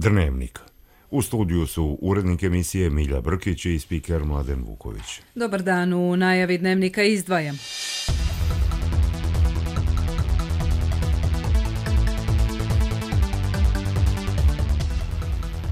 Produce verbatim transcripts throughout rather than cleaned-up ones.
Dnevnik. U studiju su urednik emisije Milja Brkić i spiker Mladen Vuković. Dobar dan, u najavi Dnevnika izdvajam.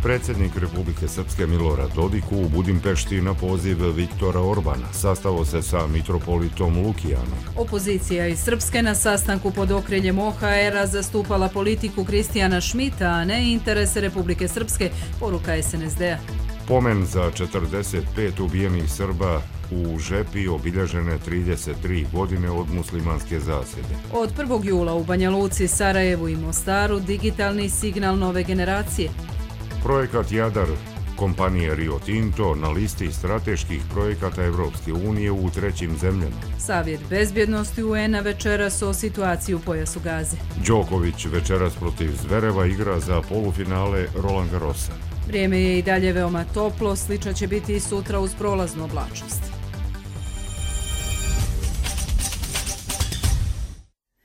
Predsjednik Republike Srpske Milorad Dodik u Budimpešti na poziv Viktora Orbana sastao se sa mitropolitom Lukijanom. Opozicija iz Srpske na sastanku pod okriljem O H R-a zastupala politiku Kristijana Šmita, a ne interese Republike Srpske, poruka S N S D-a. Pomen za četrdeset pet ubijenih Srba u Žepi obilježene trideset tri godine od muslimanske zasjede. Od prvog jula u Banja Luci, Sarajevu i Mostaru digitalni signal nove generacije. Projekat Jadar kompanije Rio Tinto na listi strateških projekata Evropske unije u trećim zemljama. Savjet bezbjednosti U N-a večeras o situaciji u pojasu Gaze. Đoković večeras protiv Zvereva igra za polufinale Roland Garrosa. Vrijeme je i dalje veoma toplo, slično će biti i sutra uz prolaznu oblačnost.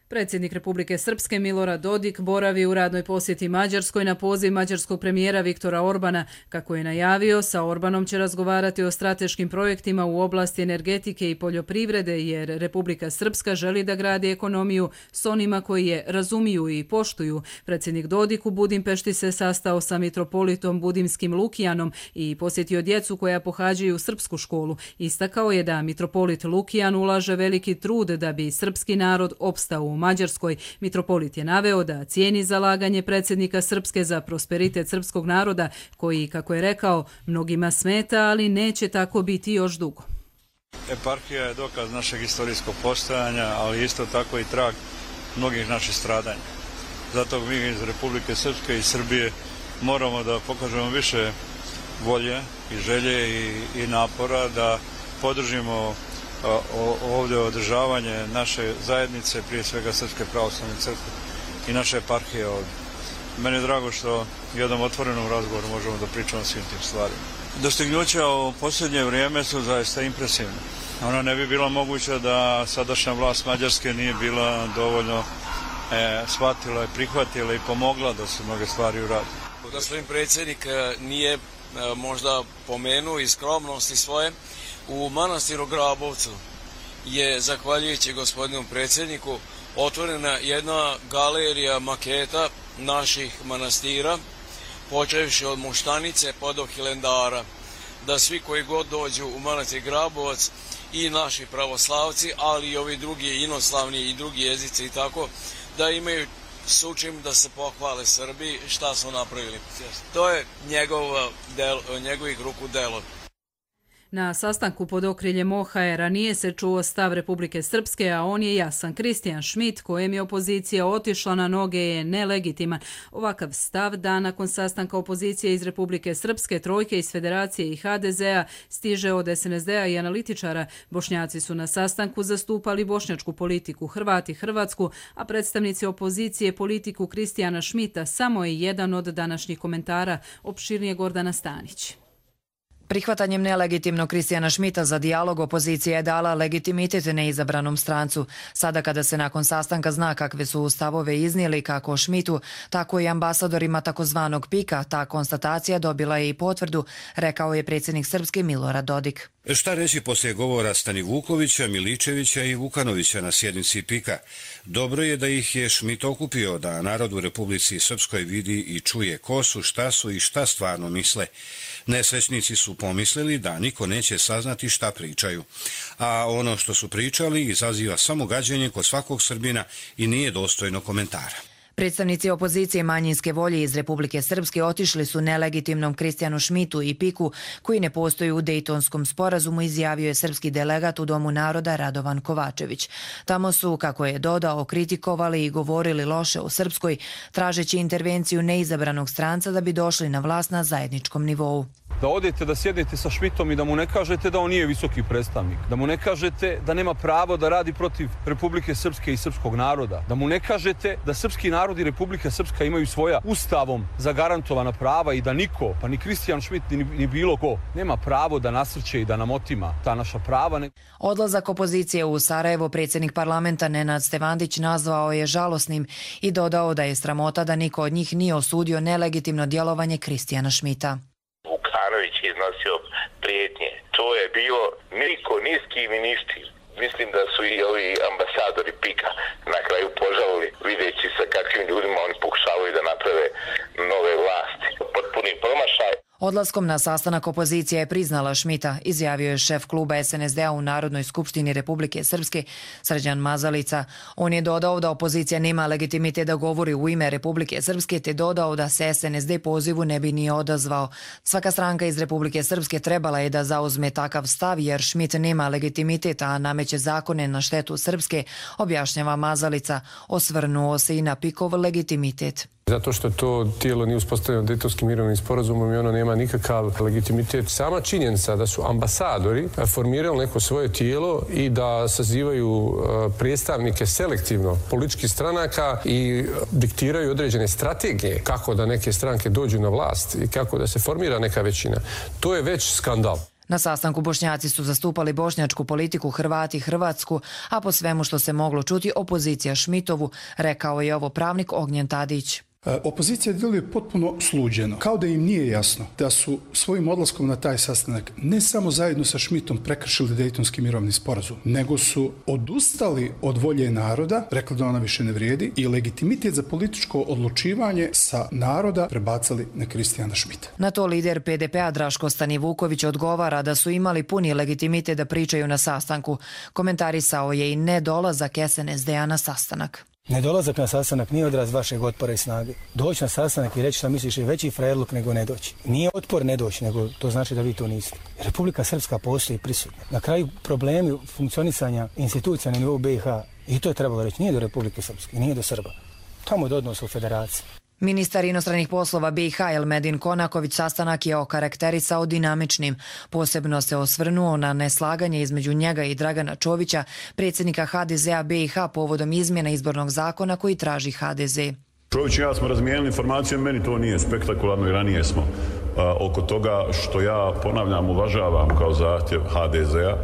Predsjednik Republike Srpske Milorad Dodik boravi u radnoj posjeti Mađarskoj na poziv mađarskog premijera Viktora Orbana. Kako je najavio, sa Orbanom će razgovarati o strateškim projektima u oblasti energetike i poljoprivrede, jer Republika Srpska želi da gradi ekonomiju s onima koji je razumiju i poštuju. Predsjednik Dodik u Budimpešti se sastao sa mitropolitom Budimskim Lukijanom i posjetio djecu koja pohađaju srpsku školu. Istakao je da mitropolit Lukijan ulaže veliki trud da bi srpski narod opstao u Mađarskoj. Mitropolit je naveo da cijeni zalaganje predsjednika Srpske za prosperitet srpskog naroda, koji, kako je rekao, mnogima smeta, ali neće tako biti još dugo. Eparhija je dokaz našeg istorijskog postojanja, ali isto tako i trag mnogih naših stradanja. Zato mi iz Republike Srpske i Srbije moramo da pokažemo više volje i želje i, i napora da podržimo ovdje održavanje naše zajednice, prije svega Srpske pravoslavne crkve i naše eparhije ovdje. Meni je drago što u jednom otvorenom razgovoru možemo da pričamo o svim tim stvarima. Dostignuća u posljednje vrijeme su zaista impresivne. Ona ne bi bila moguća da sadašnja vlast Mađarske nije bila dovoljno e, shvatila i prihvatila i pomogla da se mnoge stvari uradi. Gospodin predsjednik nije e, možda pomenuo iz skromnosti svoje. U manastiru Grabovcu je, zahvaljujući gospodinu predsjedniku, otvorena jedna galerija maketa naših manastira, počevši od Moštanice pa do Hilendara, da svi koji god dođu u manastir Grabovac, i naši pravoslavci, ali i ovi drugi inoslavni i drugi jezici i tako, da imaju s čim da se pohvale Srbiji šta su napravili. To je njegov del, njegovih ruku delo. Na sastanku pod okriljem O H R-a nije se čuo stav Republike Srpske, a on je jasan. Kristijan Šmit, kojem je opozicija otišla na noge, je nelegitiman. Ovakav stav dan nakon sastanka opozicije iz Republike Srpske, Trojke iz Federacije i H D Z-a stiže od S N S D-a i analitičara. Bošnjaci su na sastanku zastupali bošnjačku politiku, Hrvati Hrvatsku, a predstavnici opozicije politiku Kristijana Šmita. Samo je jedan od današnjih komentara, opširnije Gordana Stanić. Prihvatanjem nelegitimnog Kristijana Šmita za dijalog opozicija je dala legitimitet neizabranom strancu. Sada kada se nakon sastanka zna kakve su stavove iznijeli kako Šmitu, tako i ambasadorima takozvanog pika, ta konstatacija dobila je i potvrdu, rekao je predsjednik Srpske Milorad Dodik. Šta reći poslije govora Stani Vukovića, Miličevića i Vukanovića na sjednici pika? Dobro je da ih je Šmit okupio, da narod u Republici Srpskoj vidi i čuje ko su, šta su i šta stvarno misle. Nesrećnici su pomislili da niko neće saznati šta pričaju, a ono što su pričali izaziva samo gađenje kod svakog Srbina i nije dostojno komentara. Predstavnici opozicije manjinske volje iz Republike Srpske otišli su nelegitimnom Kristijanu Šmitu i piku koji ne postoji u Dejtonskom sporazumu, izjavio je srpski delegat u Domu naroda Radovan Kovačević. Tamo su, kako je dodao, kritikovali i govorili loše o Srpskoj, tražeći intervenciju neizabranog stranca da bi došli na vlast na zajedničkom nivou. Da odete da sjednete sa Šmitom i da mu ne kažete da on nije visoki predstavnik, da mu ne kažete da nema pravo da radi protiv Republike Srpske i srpskog naroda, da mu ne kažete da srpski narod i Republika Srpska imaju svoja ustavom zagarantovana prava i da niko, pa ni Kristijan Šmit ni, ni bilo ko, nema pravo da nasrće i da nam otima ta naša prava. Odlazak opozicije u Sarajevo predsjednik parlamenta Nenad Stevandić nazvao je žalosnim i dodao da je sramota da niko od njih nije osudio nelegitimno djelovanje Kristijana Šmita. Vukanović je iznosio prijetnje. To je bilo niko, ni s kim i ništa. Mislim da su i ovi ambasadori Pika na kraju požalili videći sa kakvim ljudima oni pokušavaju da naprave nove vlasti. Potpuni promašaj. Odlaskom na sastanak opozicija je priznala Šmita, izjavio je šef kluba S N S D-a u Narodnoj skupštini Republike Srpske, Srđan Mazalica. On je dodao da opozicija nema legitimitet da govori u ime Republike Srpske, te dodao da se S N S D pozivu ne bi ni odazvao. Svaka stranka iz Republike Srpske trebala je da zauzme takav stav, jer Šmit nema legitimitet, a nameće zakone na štetu Srpske, objašnjava Mazalica. Osvrnuo se i na Pikov legitimitet. Zato što to tijelo nije uspostavljeno Dejtonskim mirovnim sporazumom i ono nema nikakav legitimitet. Sama činjenica da su ambasadori formirali neko svoje tijelo i da sazivaju predstavnike selektivno političkih stranaka i diktiraju određene strategije kako da neke stranke dođu na vlast i kako da se formira neka većina, to je već skandal. Na sastanku Bošnjaci su zastupali bošnjačku politiku, Hrvati Hrvatsku, a po svemu što se moglo čuti opozicija Šmitovu, rekao je ovo pravnik Ognjen Tadić. Opozicija djeluje potpuno sluđeno, kao da im nije jasno da su svojim odlaskom na taj sastanak ne samo zajedno sa Šmitom prekršili Dejtonski mirovni sporazum, nego su odustali od volje naroda, rekli da ona više ne vrijedi, i legitimitet za političko odlučivanje sa naroda prebacali na Kristijana Šmita. Na to lider P D P-a Draško Stanivuković odgovara da su imali puni legitimitet da pričaju na sastanku. Komentarisao je i nedolazak S N S D-a na sastanak. Nedolazak na sastanak nije odraz vašeg otpora i snage. Doći na sastanak i reći što misliš je veći frajerluk nego ne doći. Nije otpor ne doći, nego to znači da vi to niste. Republika Srpska postoji prisutna. Na kraju problemi funkcionisanja institucija na nivou B i H, i to je trebalo reći, nije do Republike Srpske, nije do Srba. Tamo je do odnosa u federaciji. Ministar inostranih poslova B i H Elmedin Konaković sastanak je okarakterisao dinamičnim. Posebno se osvrnuo na neslaganje između njega i Dragana Čovića, predsjednika H D Z-a B i H povodom izmjena izbornog zakona koji traži H D Z. Čović i ja smo razmijenili informacije, meni to nije spektakularno i ranije smo a, oko toga što ja ponavljam uvažavam kao zahtjev H D Z-a,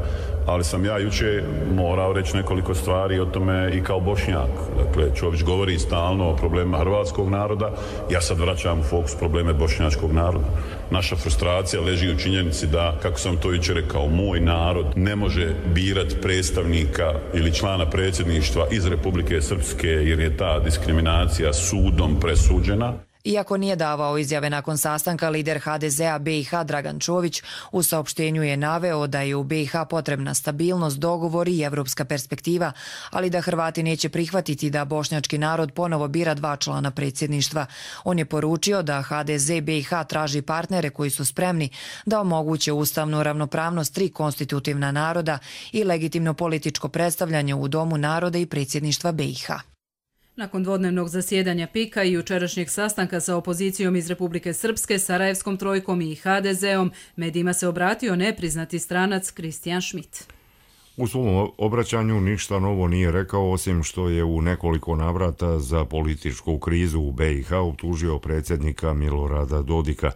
ali sam ja juče morao reći nekoliko stvari o tome i kao Bošnjak. Dakle, Čović govori stalno o problemima hrvatskog naroda, ja sad vraćam u fokus probleme bošnjačkog naroda. Naša frustracija leži u činjenici da, kako sam to juče rekao, moj narod ne može birati predstavnika ili člana predsjedništva iz Republike Srpske jer je ta diskriminacija sudom presuđena. Iako nije davao izjave nakon sastanka, lider H D Z-a B i H Dragan Čović u saopštenju je naveo da je u B i H potrebna stabilnost, dogovor i evropska perspektiva, ali da Hrvati neće prihvatiti da bošnjački narod ponovo bira dva člana predsjedništva. On je poručio da H D Z B i H traži partnere koji su spremni da omoguće ustavnu ravnopravnost tri konstitutivna naroda i legitimno političko predstavljanje u Domu naroda i predsjedništva B i H. Nakon dvodnevnog zasjedanja Pika i jučerašnjeg sastanka sa opozicijom iz Republike Srpske, Sarajevskom trojkom i H D Z-om, medijima se obratio nepriznati stranac Kristijan Šmit. U svom obraćanju ništa novo nije rekao, osim što je u nekoliko navrata za političku krizu u B i H optužio predsjednika Milorada Dodika.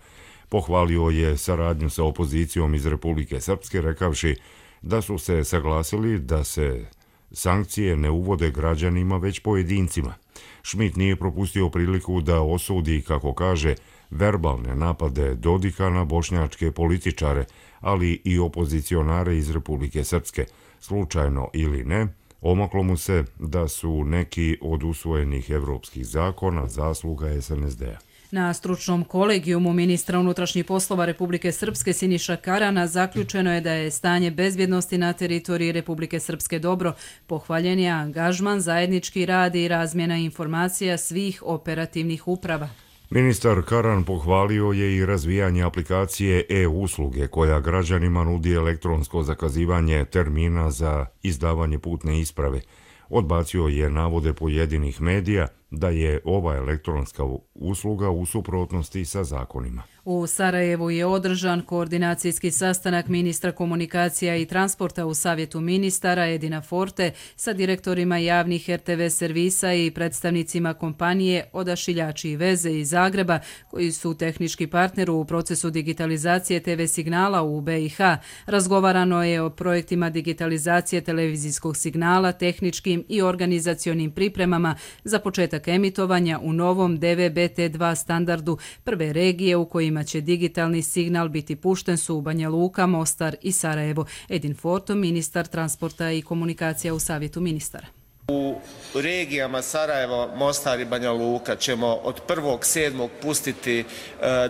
Pohvalio je saradnju sa opozicijom iz Republike Srpske, rekavši da su se saglasili da se sankcije ne uvode građanima, već pojedincima. Šmit nije propustio priliku da osudi, kako kaže, verbalne napade Dodika na bošnjačke političare, ali i opozicionare iz Republike Srpske. Slučajno ili ne, omaklo mu se da su neki od usvojenih evropskih zakona zasluga S N S D-a. Na stručnom kolegijumu ministra unutrašnjih poslova Republike Srpske Siniša Karana zaključeno je da je stanje bezbjednosti na teritoriji Republike Srpske dobro. Pohvaljen je angažman, zajednički rad i razmjena informacija svih operativnih uprava. Ministar Karan pohvalio je i razvijanje aplikacije e-usluge koja građanima nudi elektronsko zakazivanje termina za izdavanje putne isprave. Odbacio je navode pojedinih medija da je ova elektronska usluga u suprotnosti sa zakonima. U Sarajevu je održan koordinacijski sastanak ministra komunikacija i transporta u Savjetu ministara Edina Forte sa direktorima javnih er te ve servisa i predstavnicima kompanije Odašiljači i veze iz Zagreba, koji su tehnički partner u procesu digitalizacije te ve signala u be i ha. Razgovarano je o projektima digitalizacije televizijskog signala, tehničkim i organizacionim pripremama za početak emitovanja u novom de ve be te dva standardu. Prve regije u kojima će digitalni signal biti pušten su Banja Luka, Mostar i Sarajevo. Edin Forto, ministar transporta i komunikacija u Savjetu ministara. U regijama Sarajevo, Mostar i Banja Luka ćemo od prvog sedmog pustiti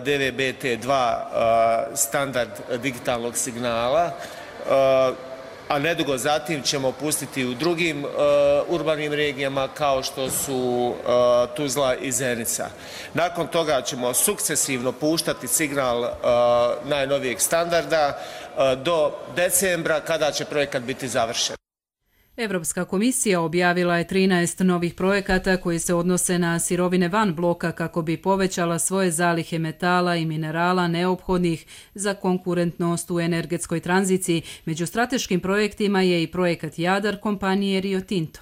de ve be te dva standard digitalnog signala, a nedugo zatim ćemo pustiti u drugim uh, urbanim regijama kao što su uh, Tuzla i Zenica. Nakon toga ćemo sukcesivno puštati signal uh, najnovijeg standarda uh, do decembra kada će projekat biti završen. Evropska komisija objavila je trinaest novih projekata koji se odnose na sirovine van bloka kako bi povećala svoje zalihe metala i minerala neophodnih za konkurentnost u energetskoj tranziciji. Među strateškim projektima je i projekat Jadar kompanije Rio Tinto.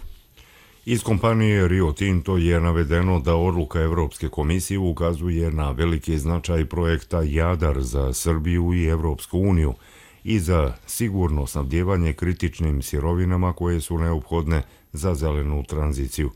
Iz kompanije Rio Tinto je navedeno da odluka Evropske komisije ukazuje na veliki značaj projekta Jadar za Srbiju i Evropsku uniju i za sigurno snabdijevanje kritičnim sirovinama koje su neophodne za zelenu tranziciju.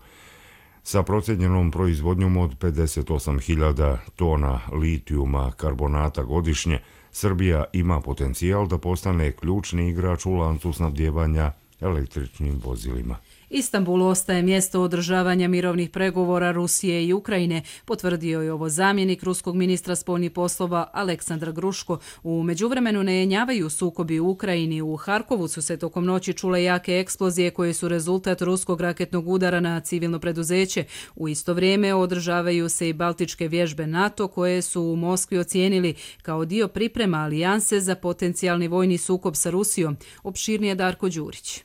Sa procjenjenom proizvodnjom od pedeset osam hiljada tona litijuma karbonata godišnje, Srbija ima potencijal da postane ključni igrač u lancu snabdijevanja električnim vozilima. Istanbul ostaje mjesto održavanja mirovnih pregovora Rusije i Ukrajine, potvrdio je ovo zamjenik ruskog ministra spoljnih poslova Aleksandar Gruško. U međuvremenu ne jenjavaju sukobi u Ukrajini. U Harkovu su se tokom noći čule jake eksplozije koje su rezultat ruskog raketnog udara na civilno preduzeće. U isto vrijeme održavaju se i baltičke vježbe NATO koje su u Moskvi ocijenili kao dio priprema alijanse za potencijalni vojni sukob sa Rusijom. Opširnije Darko Đurić.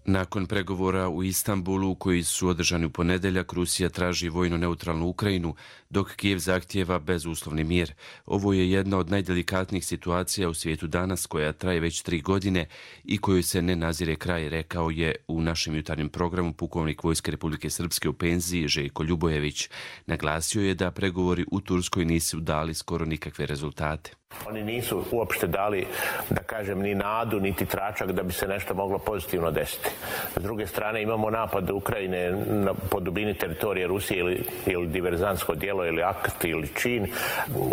Nakon pregovora u Istanbulu koji su održani u ponedeljak, Rusija traži vojno neutralnu Ukrajinu, dok Kijev zahtijeva bezuslovni mir. Ovo je jedna od najdelikatnijih situacija u svijetu danas, koja traje već tri godine i kojoj se ne nazire kraj, rekao je u našem jutarnjem programu pukovnik Vojske Republike Srpske u penziji Željko Ljubojević. Naglasio je da pregovori u Turskoj nisu dali skoro nikakve rezultate. Oni nisu uopšte dali, da kažem, ni nadu, niti tračak da bi se nešto moglo pozitivno desiti. S druge strane imamo napad Ukrajine na, po dubini teritorije Rusije ili, ili diverzantsko djelo ili akt ili čin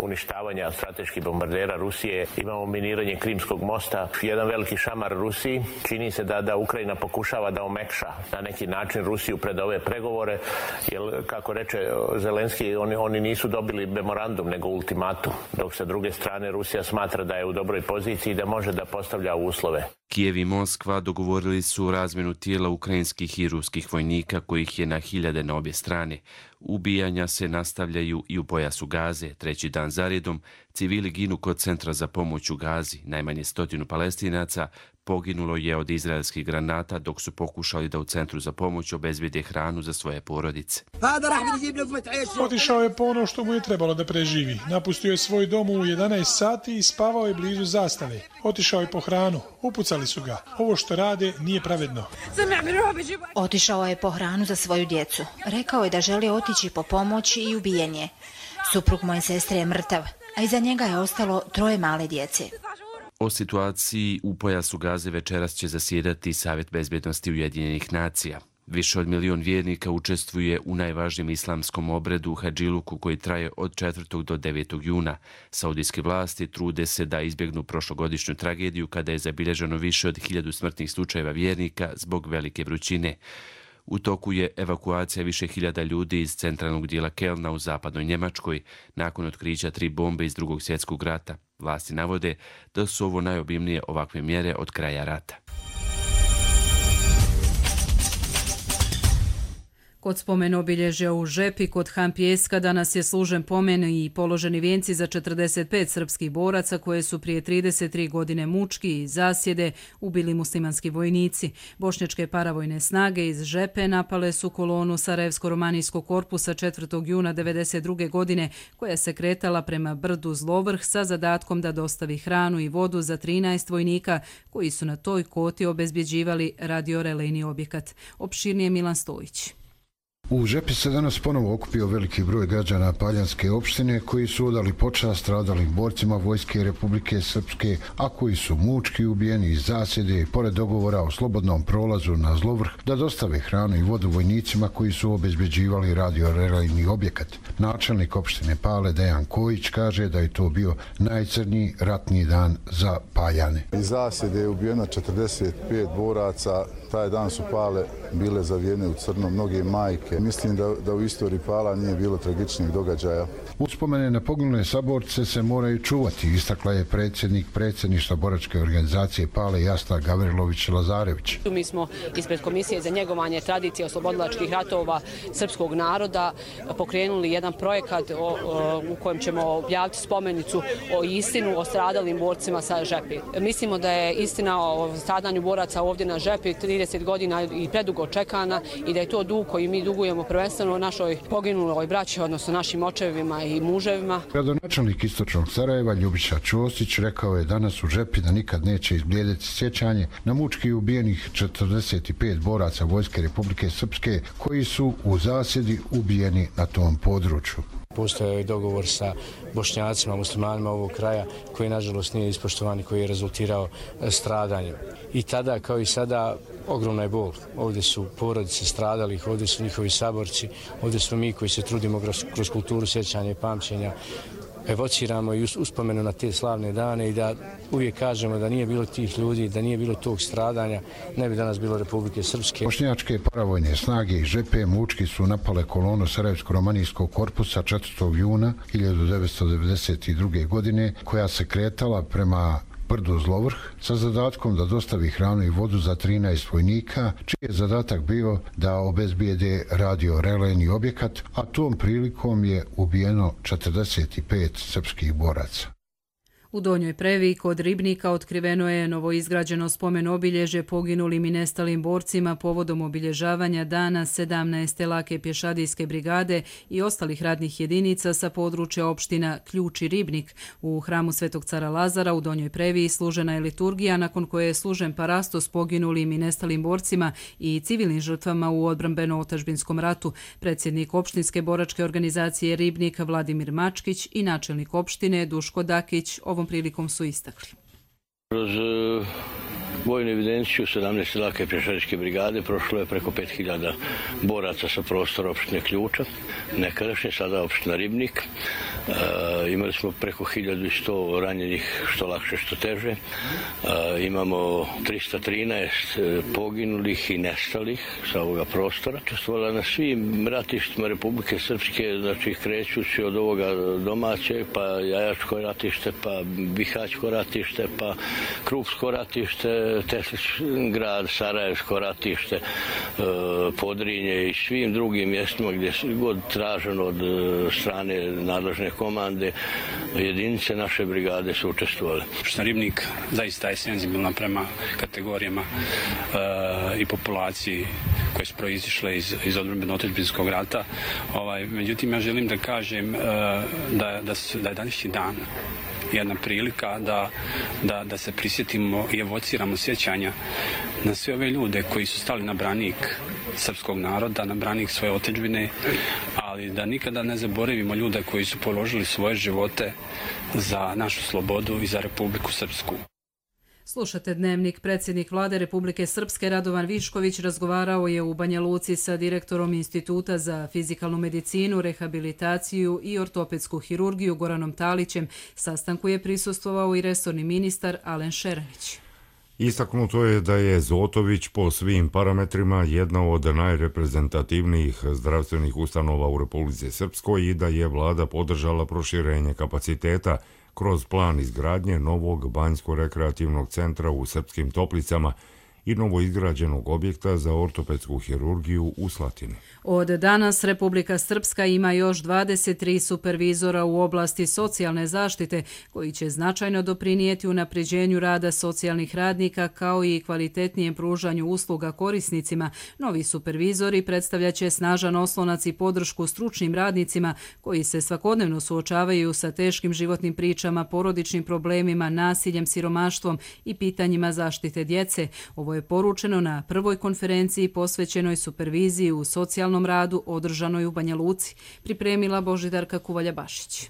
uništavanja strateških bombardera Rusije. Imamo miniranje Krimskog mosta. Jedan veliki šamar Rusiji. Čini se da, da Ukrajina pokušava da omekša na neki način Rusiju pred ove pregovore, jer kako reče Zelenski, oni, oni nisu dobili memorandum nego ultimatum, dok sa druge strane Rusija smatra da je u dobroj poziciji i da može da postavlja uslove. Kijev i Moskva dogovorili su razmjenu tijela ukrajinskih i ruskih vojnika, kojih je na hiljade na obje strane. Ubijanja se nastavljaju i u pojasu Gaze. Treći dan zaredom civili ginu kod centra za pomoć u Gazi. Najmanje stotinu Palestinaca poginulo je od izraelskih granata dok su pokušali da u centru za pomoć obezbijede hranu za svoje porodice. Otišao je po ono što mu je trebalo da preživi. Napustio je svoj dom u jedanaest sati i spavao je blizu zastave. Otišao je po hranu. Upucali su ga. Ovo što rade nije pravedno. Otišao je po hranu za svoju djecu. Rekao je da želi otići po pomoć i ubijen je. Suprug moje sestre je mrtav, a iza njega je ostalo troje male djece. O situaciji u pojasu Gaze večeras će zasjedati Savjet bezbjednosti Ujedinjenih nacija. Više od milion vjernika učestvuje u najvažnijem islamskom obredu Hadžiluku koji traje od četvrtog do devetog juna. Saudijske vlasti trude se da izbjegnu prošlogodišnju tragediju kada je zabilježeno više od hiljadu smrtnih slučajeva vjernika zbog velike vrućine. U toku je evakuacija više hiljada ljudi iz centralnog dijela Kelna u zapadnoj Njemačkoj nakon otkrića tri bombe iz drugog svjetskog rata. Vlasti navode da su ovo najobimnije ovakve mjere od kraja rata. Kod spomen obilježja u Žepi kod Han Pijeska danas je služen pomen i položeni vijenci za četrdeset pet srpskih boraca koje su prije trideset tri godine mučki i zasjede ubili muslimanski vojnici. Bošnjačke paravojne snage iz Žepe napale su kolonu Sarajevsko-romanijskog korpusa četvrtog juna devedeset druge godine koja se kretala prema brdu Zlovrh sa zadatkom da dostavi hranu i vodu za trinaest vojnika koji su na toj koti obezbjeđivali radiorelejni objekat. Opširnije Milan Stojić. U Žepi se danas ponovo okupio veliki broj građana Paljanske opštine koji su odali počast stradalim borcima Vojske Republike Srpske, a koji su mučki ubijeni iz zasjede i pored dogovora o slobodnom prolazu na Zlovrh da dostave hranu i vodu vojnicima koji su obezbeđivali radiorelejni objekat. Načelnik opštine Pale Dejan Kojić kaže da je to bio najcrniji ratni dan za Paljane. Iz zasjede je ubijeno četrdeset pet boraca. Taj dan su Pale bile zavijene u crno, mnoge majke. Mislim da, da u istoriji Pala nije bilo tragičnih događaja. Uspomene na poginule saborce se moraju čuvati, istakla je predsjednik predsjedništva boračke organizacije Pale Jasna Gavrilović-Lazarević. Mi smo ispred Komisije za njegovanje tradicije oslobodilačkih ratova srpskog naroda pokrenuli jedan projekat o, o, u kojem ćemo objaviti spomenicu o istinu o stradalim borcima sa Žepi. Mislimo da je istina o stradanju boraca ovdje na Žepi trideset godina i predugo čekana i da je to dug koji mi dugujemo prvenstveno našoj poginuloj braći, odnosno našim očevima i muževima. Gradonačelnik istočnog Sarajeva Ljubiša Ćosić rekao je danas u Žepi da nikad neće izblijediti sjećanje na mučki ubijenih četrdeset pet boraca Vojske Republike Srpske koji su u zasjedi ubijeni na tom području. Postoje je dogovor sa Bošnjacima, muslimanima ovog kraja koji nažalost nije ispoštovan i koji je rezultirao stradanjem. I tada kao i sada ogromna je bol. Ovdje su porodice stradalih, ovdje su njihovi saborci, ovdje smo mi koji se trudimo kroz, kroz kulturu sjećanja i pamćenja, evociramo i uspomenu na te slavne dane i da uvijek kažemo da nije bilo tih ljudi, da nije bilo tog stradanja, ne bi danas bilo Republike Srpske. Bošnjačke paravojne snage iz Žepe mučki su napale kolonu Sarajevsko-romanijskog korpusa četvrtog juna hiljadu devetsto devedeset druge godine koja se kretala prema brdu Zlovrh sa zadatkom da dostavi hranu i vodu za trinaest vojnika, čiji je zadatak bio da obezbijede radiorelejni objekat, a tom prilikom je ubijeno četrdeset pet srpskih boraca. U Donjoj Previ kod Ribnika otkriveno je novoizgrađeno spomen obilježje poginulim i nestalim borcima povodom obilježavanja dana sedamnaeste lake pješadijske brigade i ostalih radnih jedinica sa područja opština Ključ i Ribnik. U hramu Svetog cara Lazara u Donjoj Previ služena je liturgija nakon koje je služen parastos poginulim i nestalim borcima i civilnim žrtvama u odbrambeno-otačbinskom ratu. Predsjednik opštinske boračke organizacije Ribnik Vladimir Mačkić i načelnik opštine Duško Dakić ovom prilikom su istakli. Kroz uh, vojnu evidenciju sedamnaeste lake pješadijske brigade prošlo je preko pet hiljada boraca sa prostora opštine Ključa, nekadašnje, sada opština Ribnik. Uh, imali smo preko hiljadu sto ranjenih, što lakše, što teže. Uh, imamo trista trinaest poginulih i nestalih sa ovoga prostora. Učestvovala na svim ratištima Republike Srpske, znači krećući od ovoga domaćeg, pa Jajačko ratište, pa Bihaćko ratište, pa Krupsko ratište, Teslić-grad, Sarajevsko ratište, Podrinje i svim drugim mjestima gdje je god traženo od strane nadležne komande, jedinice naše brigade su učestvovali. Opština Ribnik zaista je senzibilna prema kategorijama e, i populaciji koje su proizišle iz, iz odbrambeno-otačbinskog rata. Ovaj, međutim, ja želim da kažem e, da, da, su, da je današnji dan jedna prilika da, da, da se prisjetimo i evociramo sjećanja na sve ove ljude koji su stali na branik srpskog naroda, na branik svoje otadžbine, ali da nikada ne zaboravimo ljude koji su položili svoje živote za našu slobodu i za Republiku Srpsku. Slušate Dnevnik. Predsjednik Vlade Republike Srpske Radovan Višković razgovarao je u Banja Luci sa direktorom Instituta za fizikalnu medicinu, rehabilitaciju i ortopedsku hirurgiju Goranom Talićem. Sastanku je prisustvovao i resorni ministar Alen Šeranić. Istaknuto je da je Zotović po svim parametrima jedna od najreprezentativnijih zdravstvenih ustanova u Republici Srpskoj i da je vlada podržala proširenje kapaciteta kroz plan izgradnje novog banjsko-rekreativnog centra u Srpskim Toplicama i novoizgrađenog objekta za ortopedsku hirurgiju u Slatini. Od danas Republika Srpska ima još dvadeset tri supervizora u oblasti socijalne zaštite koji će značajno doprinijeti unapređenju rada socijalnih radnika kao i kvalitetnijem pružanju usluga korisnicima. Novi supervizori predstavljaće snažan oslonac i podršku stručnim radnicima koji se svakodnevno suočavaju sa teškim životnim pričama, porodičnim problemima, nasiljem, siromaštvom i pitanjima zaštite djece. Ovo je poručeno na prvoj konferenciji posvećenoj superviziji u socijalnom radu održanoj u Banja Luci, pripremila Božidarka Kuvalja-Bašić.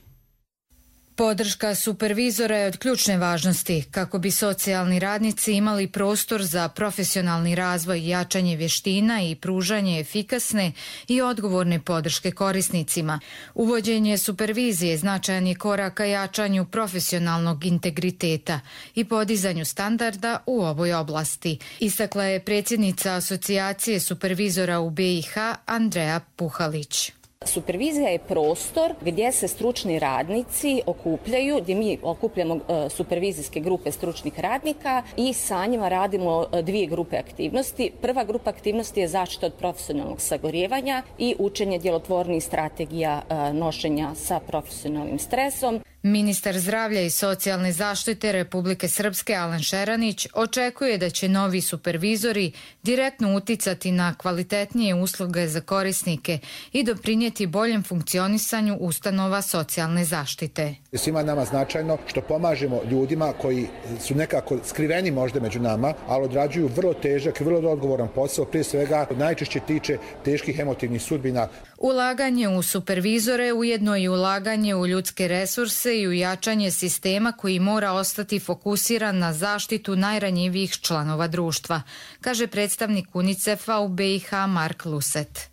Podrška supervizora je od ključne važnosti kako bi socijalni radnici imali prostor za profesionalni razvoj, jačanje vještina i pružanje efikasne i odgovorne podrške korisnicima. Uvođenje supervizije značajan je korak ka jačanju profesionalnog integriteta i podizanju standarda u ovoj oblasti, istakla je predsjednica Asocijacije supervizora u be i ha Andreja Puhalić. Supervizija je prostor gdje se stručni radnici okupljaju, gdje mi okupljamo supervizijske grupe stručnih radnika i sa njima radimo dvije grupe aktivnosti. Prva grupa aktivnosti je zaštita od profesionalnog sagorijevanja i učenje djelotvornih strategija nošenja sa profesionalnim stresom. Ministar zdravlja i socijalne zaštite Republike Srpske Alen Šeranić očekuje da će novi supervizori direktno uticati na kvalitetnije usluge za korisnike i doprinijeti boljem funkcionisanju ustanova socijalne zaštite. Svima nama značajno što pomažemo ljudima koji su nekako skriveni možda među nama, ali odrađuju vrlo težak i vrlo odgovoran posao, prije svega najčešće tiče teških emotivnih sudbina. Ulaganje u supervizore ujedno i ulaganje u ljudske resurse i u jačanje sistema koji mora ostati fokusiran na zaštitu najranjivijih članova društva, kaže predstavnik UNICEF-a u be i ha Mark Luset.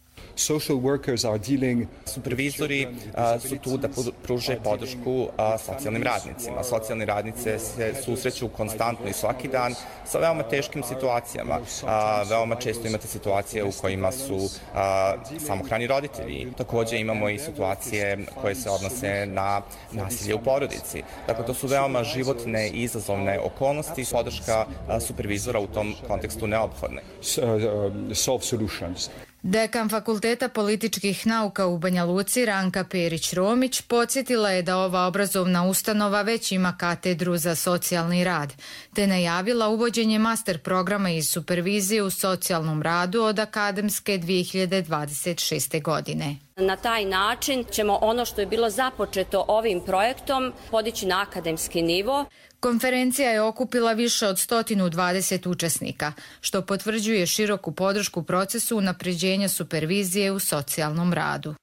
Supervizori su tu da pruže podršku socijalnim radnicima. Socijalni radnice se susreću konstantno i svaki dan sa veoma teškim situacijama. Veoma često imate situacije u kojima su samohrani roditelji. Također imamo i situacije koje se odnose na nasilje u porodici. Dakle, to su veoma životne i izazovne okolnosti. Podrška supervizora u tom kontekstu neophodna. Dekan Fakulteta političkih nauka u Banja Luci Ranka Perić-Romić podsjetila je da ova obrazovna ustanova već ima katedru za socijalni rad, te najavila uvođenje master programa iz supervizije u socijalnom radu od akademske dvije hiljade dvadeset šeste. godine. Na taj način ćemo ono što je bilo započeto ovim projektom podići na akademski nivo. Konferencija je okupila više od sto dvadeset učesnika, što potvrđuje široku podršku procesu unapređenja supervizije u socijalnom radu.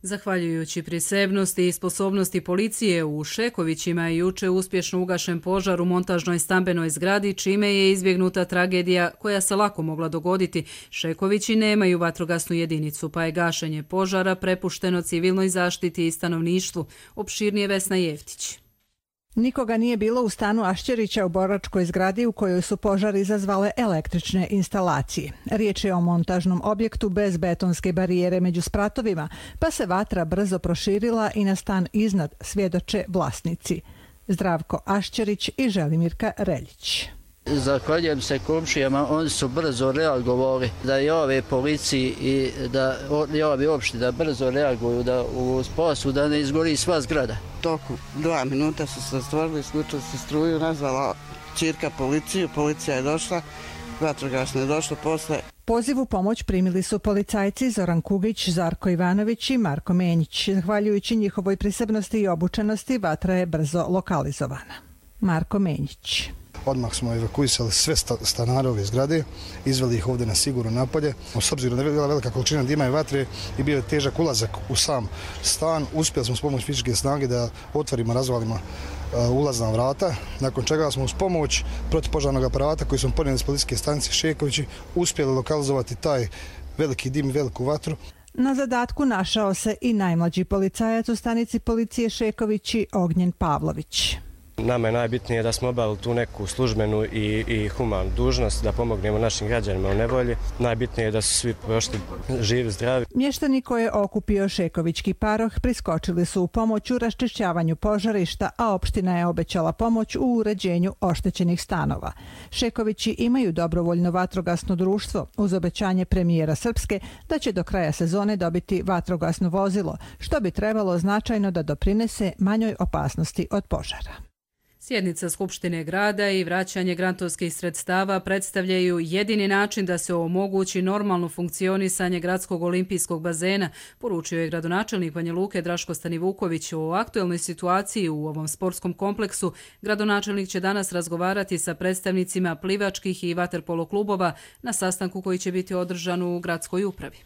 Zahvaljujući prisebnosti i sposobnosti policije u Šekovićima je juče uspješno ugašen požar u montažnoj stambenoj zgradi, čime je izbjegnuta tragedija koja se lako mogla dogoditi. Šekovići nemaju vatrogasnu jedinicu, pa je gašenje požara prepušteno civilnoj zaštiti i stanovništvu. Opširnije Vesna Jeftić. Nikoga nije bilo u stanu Ašćerića u boračkoj zgradi u kojoj su požar izazvale električne instalacije. Riječ je o montažnom objektu bez betonske barijere među spratovima, pa se vatra brzo proširila i na stan iznad, svjedoče vlasnici. Zdravko Ašćerić i Želimirka Reljić. Zahvaljujem se komšijama, oni su brzo reagovali da i ove policiji i da i ove opštine da brzo reaguju da u spasu da ne izgori sva zgrada. Toku dva minuta su se stvorili, isključili se struju, nazvala ćirka policiju, policija je došla, vatrogasno je došlo posle. Poziv u pomoć primili su policajci Zoran Kugić, Zarko Ivanović i Marko Menjić. Zahvaljujući njihovoj prisebnosti i obučenosti, vatra je brzo lokalizovana. Marko Menjić. Odmah smo evakuisali sve stanare ove zgrade, izveli ih ovdje na sigurno napolje. S obzirom da je bila velika količina dima i vatre i bio je težak ulazak u sam stan, uspjeli smo s pomoć fizičke snage da otvorimo, razvalimo ulazna vrata, nakon čega smo uz pomoć protivpožarnog aparata koji smo ponijeli iz policijske stanice Šekovići uspjeli lokalizovati taj veliki dim i veliku vatru. Na zadatku našao se i najmlađi policajac u stanici policije Šekovići, Ognjen Pavlović. Nama je najbitnije da smo obavili tu neku službenu i, i humanu dužnost, da pomognemo našim građanima u nevolji. Najbitnije je da su svi prošli živi, zdravi. Mještani koje je okupio Šekovićki paroh priskočili su u pomoć u raščišćavanju požarišta, a opština je obećala pomoć u uređenju oštećenih stanova. Šekovići imaju dobrovoljno vatrogasno društvo uz obećanje premijera Srpske da će do kraja sezone dobiti vatrogasno vozilo, što bi trebalo značajno da doprinese manjoj opasnosti od požara. Sjednica Skupštine grada i vraćanje grantovskih sredstava predstavljaju jedini način da se omogući normalno funkcionisanje gradskog olimpijskog bazena, poručio je gradonačelnik Banja Luke Draško Stanivuković. O aktuelnoj situaciji u ovom sportskom kompleksu gradonačelnik će danas razgovarati sa predstavnicima plivačkih i vaterpolo klubova na sastanku koji će biti održan u gradskoj upravi.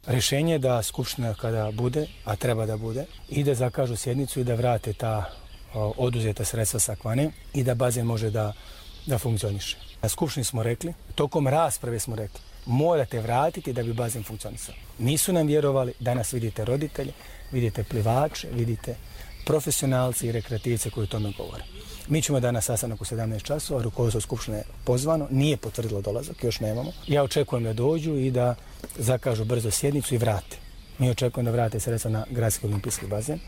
Rješenje je da Skupština kada bude, a treba da bude, ide zakažu sjednicu i da vrate ta oduzeta sredstva sa Kvane i da bazen može da, da funkcioniše. Na Skupštini smo rekli, tokom rasprave smo rekli, morate vratiti da bi bazen funkcionisao. Nisu nam vjerovali, danas vidite roditelje, vidite plivače, vidite profesionalci i rekreativce koji o tome govore. Mi ćemo danas sastanak u sedamnaest časova, rukovodstvo Skupštine je pozvano, nije potvrdilo dolazak, još nemamo. Ja očekujem da dođu i da zakažu brzo sjednicu i vrate. Mi očekujemo da vrate sredstva na gradski olimpijski bazen.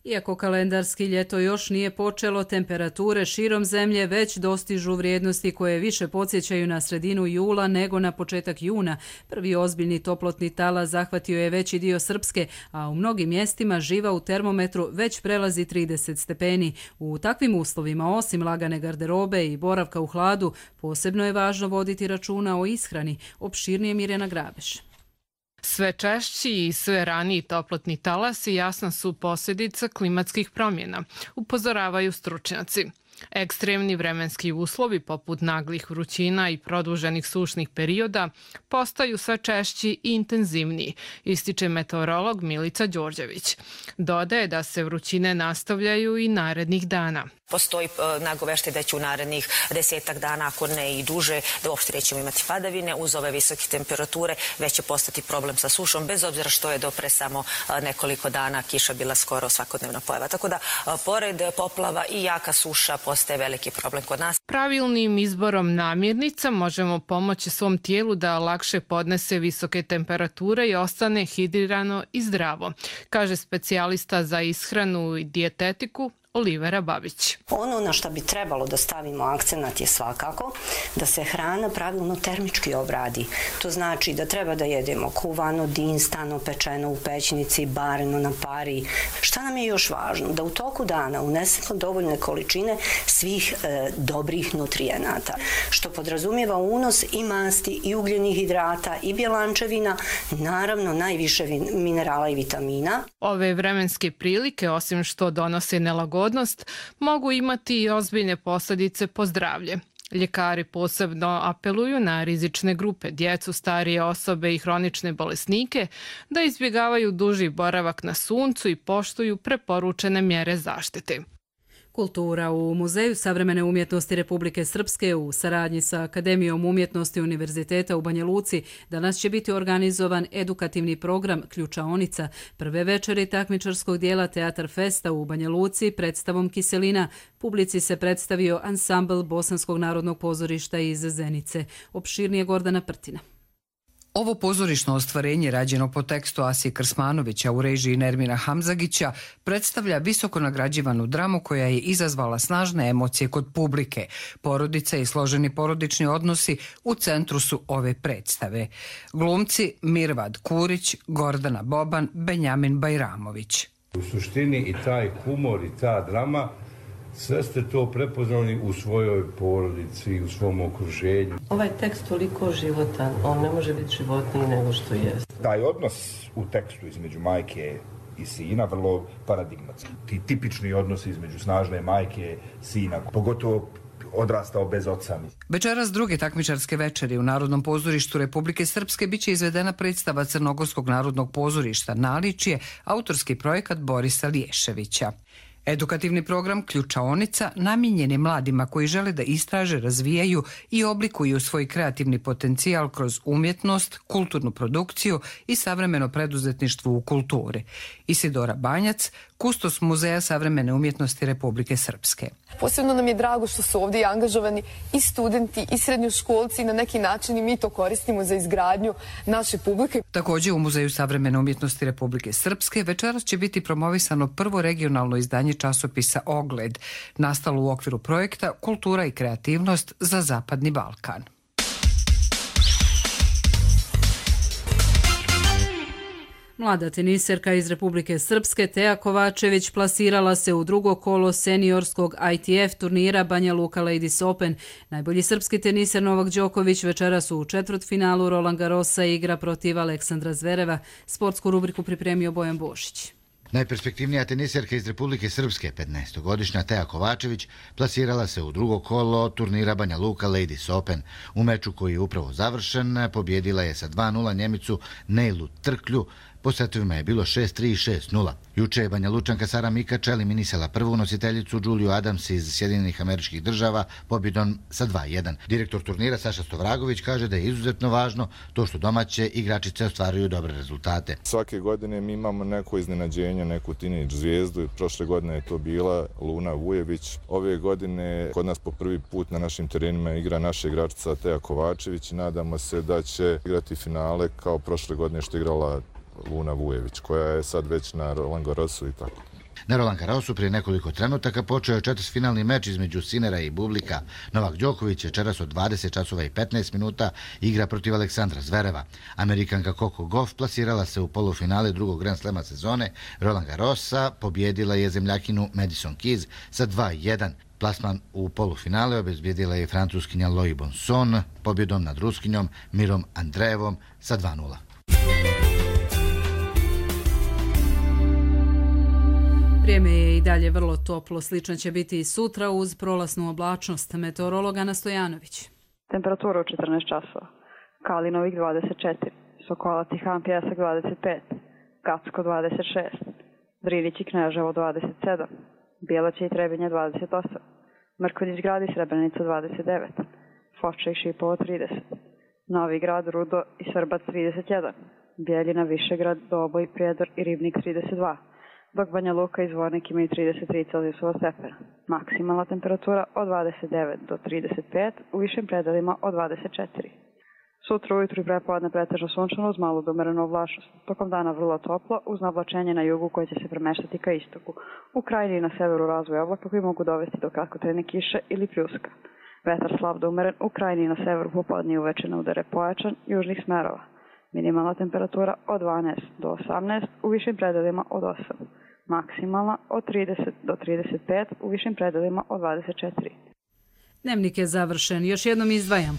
Iako kalendarski ljeto još nije počelo, temperature širom zemlje već dostižu vrijednosti koje više podsjećaju na sredinu jula nego na početak juna. Prvi ozbiljni toplotni talas zahvatio je veći dio Srpske, a u mnogim mjestima živa u termometru već prelazi trideset stepeni. U takvim uslovima, osim lagane garderobe i boravka u hladu, posebno je važno voditi računa o ishrani. Opširnije Mirjana Grabeš. Sve češći i sve raniji toplotni talasi jasna su posljedica klimatskih promjena, upozoravaju stručnjaci. Ekstremni vremenski uslovi poput naglih vrućina i produženih sušnih perioda postaju sve češći i intenzivniji, ističe meteorolog Milica Đorđević. Dodaje da se vrućine nastavljaju i narednih dana. Postoji nagoveštaj da će u narednih desetak dana, ako ne i duže, da uopšte nećemo imati padavine. Uz ove visoke temperature već će postati problem sa sušom, bez obzira što je do pre samo nekoliko dana kiša bila skoro svakodnevna pojava. Tako da, pored poplava i jaka suša postaje veliki problem kod nas. Pravilnim izborom namirnica možemo pomoći svom tijelu da lakše podnese visoke temperature i ostane hidrirano i zdravo, kaže specijalista za ishranu i dijetetiku Olivera Babić. Ono na što bi trebalo da stavimo akcenat je svakako da se hrana pravilno termički obradi. To znači da treba da jedemo kuvano, dinstano, pečeno u pećnici, bareno na pari. Šta nam je još važno? Da u toku dana unesemo dovoljne količine svih e, dobrih nutrijenata, što podrazumijeva unos i masti, i ugljenih hidrata, i bjelančevina, naravno najviše minerala i vitamina. Ove vremenske prilike, osim što donose nelagodnost, mogu imati i ozbiljne posljedice po zdravlje. Ljekari posebno apeluju na rizične grupe, djecu, starije osobe i hronične bolesnike da izbjegavaju duži boravak na suncu i poštuju preporučene mjere zaštite. Kultura u Muzeju savremene umjetnosti Republike Srpske u saradnji sa Akademijom umjetnosti Univerziteta u Banja Luci danas će biti organizovan edukativni program Ključaonica, prve večeri takmičarskog dijela Teatar Festa u Banja Luci predstavom Kiselina. Publici se predstavio ansambl Bosanskog narodnog pozorišta iz Zenice. Opširnije Gordana Prtina. Ovo pozorišno ostvarenje, rađeno po tekstu Asije Krsmanovića u režiji Nermina Hamzagića, predstavlja visoko nagrađivanu dramu koja je izazvala snažne emocije kod publike. Porodica i složeni porodični odnosi u centru su ove predstave. Glumci Mirvad Kurić, Gordana Boban, Benjamin Bajramović. U suštini i taj humor i ta drama, sve ste to prepoznali u svojoj porodici, u svom okruženju. Ovaj tekst toliko životan, on ne može biti životniji nego što je. Taj odnos u tekstu između majke i sina vrlo paradigmatski. Ti tipični odnosi između snažne majke i sina, pogotovo odrastao bez oca. Večeras druge takmičarske večeri u Narodnom pozorištu Republike Srpske biće izvedena predstava Crnogorskog narodnog pozorišta Naličje, autorski projekat Borisa Liješevića. Edukativni program Ključaonica namijenjen je mladima koji žele da istraže, razvijaju i oblikuju svoj kreativni potencijal kroz umjetnost, kulturnu produkciju i savremeno preduzetništvo u kulturi. Isidora Banjac, kustos Muzeja savremene umjetnosti Republike Srpske. Posebno nam je drago što su ovdje angažovani i studenti i srednjoškolci i na neki način i mi to koristimo za izgradnju naše publike. Također u Muzeju savremene umjetnosti Republike Srpske večeras će biti promovisano prvo regionalno izdanje časopisa Ogled, nastalo u okviru projekta Kultura i kreativnost za Zapadni Balkan. Mlada teniserka iz Republike Srpske Teja Kovačević plasirala se u drugo kolo seniorskog I T F turnira Banja Luka Ladies Open. Najbolji srpski teniser Novak Đoković večeras u četvrtfinalu Roland Garrosa igra protiv Aleksandra Zvereva. Sportsku rubriku pripremio Bojan Bošić. Najperspektivnija teniserka iz Republike Srpske, petnaestogodišnja Teja Kovačević, plasirala se u drugo kolo turnira Banja Luka Ladies Open. U meču koji je upravo završen, pobjedila je sa dva nula Njemicu Neilu Trklju. Po setovima je bilo šest tri i šest nula. Juče je Banja Lučanka Sara Mikač eliminisala prvu nositeljicu Juliju Adams iz Sjedinjenih Američkih Država pobjedom sa dva jedan. Direktor turnira Saša Stovragović kaže da je izuzetno važno to što domaće igračice ostvaruju dobre rezultate. Svake godine mi imamo neko iznenađenje, neku teenage zvijezdu. Prošle godine je to bila Luna Vujević. Ove godine kod nas po prvi put na našim terenima igra naša igračica Teja Kovačević. Nadamo se da će igrati finale kao prošle godine što je igrala Luna Vujević, koja je sad već na Roland Garrosu i tako. Na Roland Garrosu prije nekoliko trenutaka počeo je četvrtfinalni meč između Sinera i Bublika. Novak Đoković večeras od dvadeset časova i petnaest minuta igra protiv Aleksandra Zvereva. Amerikanka Coco Gauff plasirala se u polufinale drugog Grand Slema sezone Roland Garrosa, pobjedila je zemljakinu Madison Keys sa dva jedan. Plasman u polufinale obezbijedila je francuskinja Loïc Bonson pobjedom nad Ruskinjom Mirom Andreevom sa dva nula. Vrijeme je i dalje vrlo toplo, slično će biti i sutra uz prolasnu oblačnost. Meteorolog Ana Stojanović. Temperatura u četrnaest časova. Kalinovik dvadeset četiri, Sokolac i Han Pjesak dvadeset pet, Gacko dvadeset šest, Drinić i Kneževo dvadeset sedam, Bijelaća i Trebinje dvadeset osam, Mrkonjić Grad i Srebrenica dvadeset devet, Foča i Šipovo trideset, Novi Grad, Rudo i Srbac trideset jedan, Bijeljina, Višegrad, Doboj, Prijedor i Ribnik trideset dva, dok Banja Luka i Zvornik imaju trideset tri Celzijusova stepena. Maksimalna temperatura od dvadeset devet do trideset pet, u višim predelima od dvadeset četiri. Sutra ujutru i prepodne pretežno sunčano uz malu do umerenu oblačnost. Tokom dana vrlo toplo uz navlačenje na jugu koje će se premeštati ka istoku. U krajini i na severu razvoj oblaka koji mogu dovesti do kratkotrajne kiše ili pljuska. Vetar slab do umeren, u krajini i na severu popodne i uveče na udare pojačan južnih smerova. Minimalna temperatura od dvanaest do osamnaest, u višim predelima od osam. Maksimalna od trideset do trideset pet, u višim predelima od dvadeset četiri. Dnevnik je završen. Još jednom izdvajam.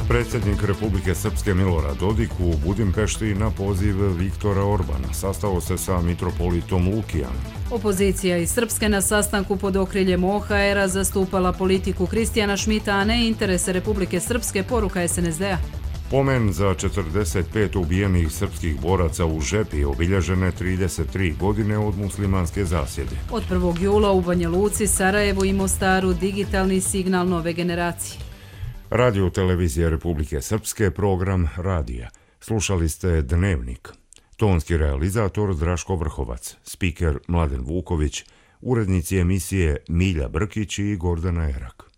Predsjednik Republike Srpske Milorad Dodik u Budimpešti na poziv Viktora Orbana sastao se sa mitropolitom Lukijanom. Opozicija iz Srpske na sastanku pod okriljem O H R-a zastupala politiku Kristijana Šmita, a ne interese Republike Srpske, poruka S N S D-a. Pomen za četrdeset pet ubijenih srpskih boraca u Žepi obilježene trideset tri godine od muslimanske zasjede. Od prvog jula u Banja Luci, Sarajevu i Mostaru digitalni signal nove generacije. Radio Televizija Republike Srpske, program Radija. Slušali ste Dnevnik. Tonski realizator Draško Vrhovac, spiker Mladen Vuković, urednici emisije Milja Brkić i Gordana Erak.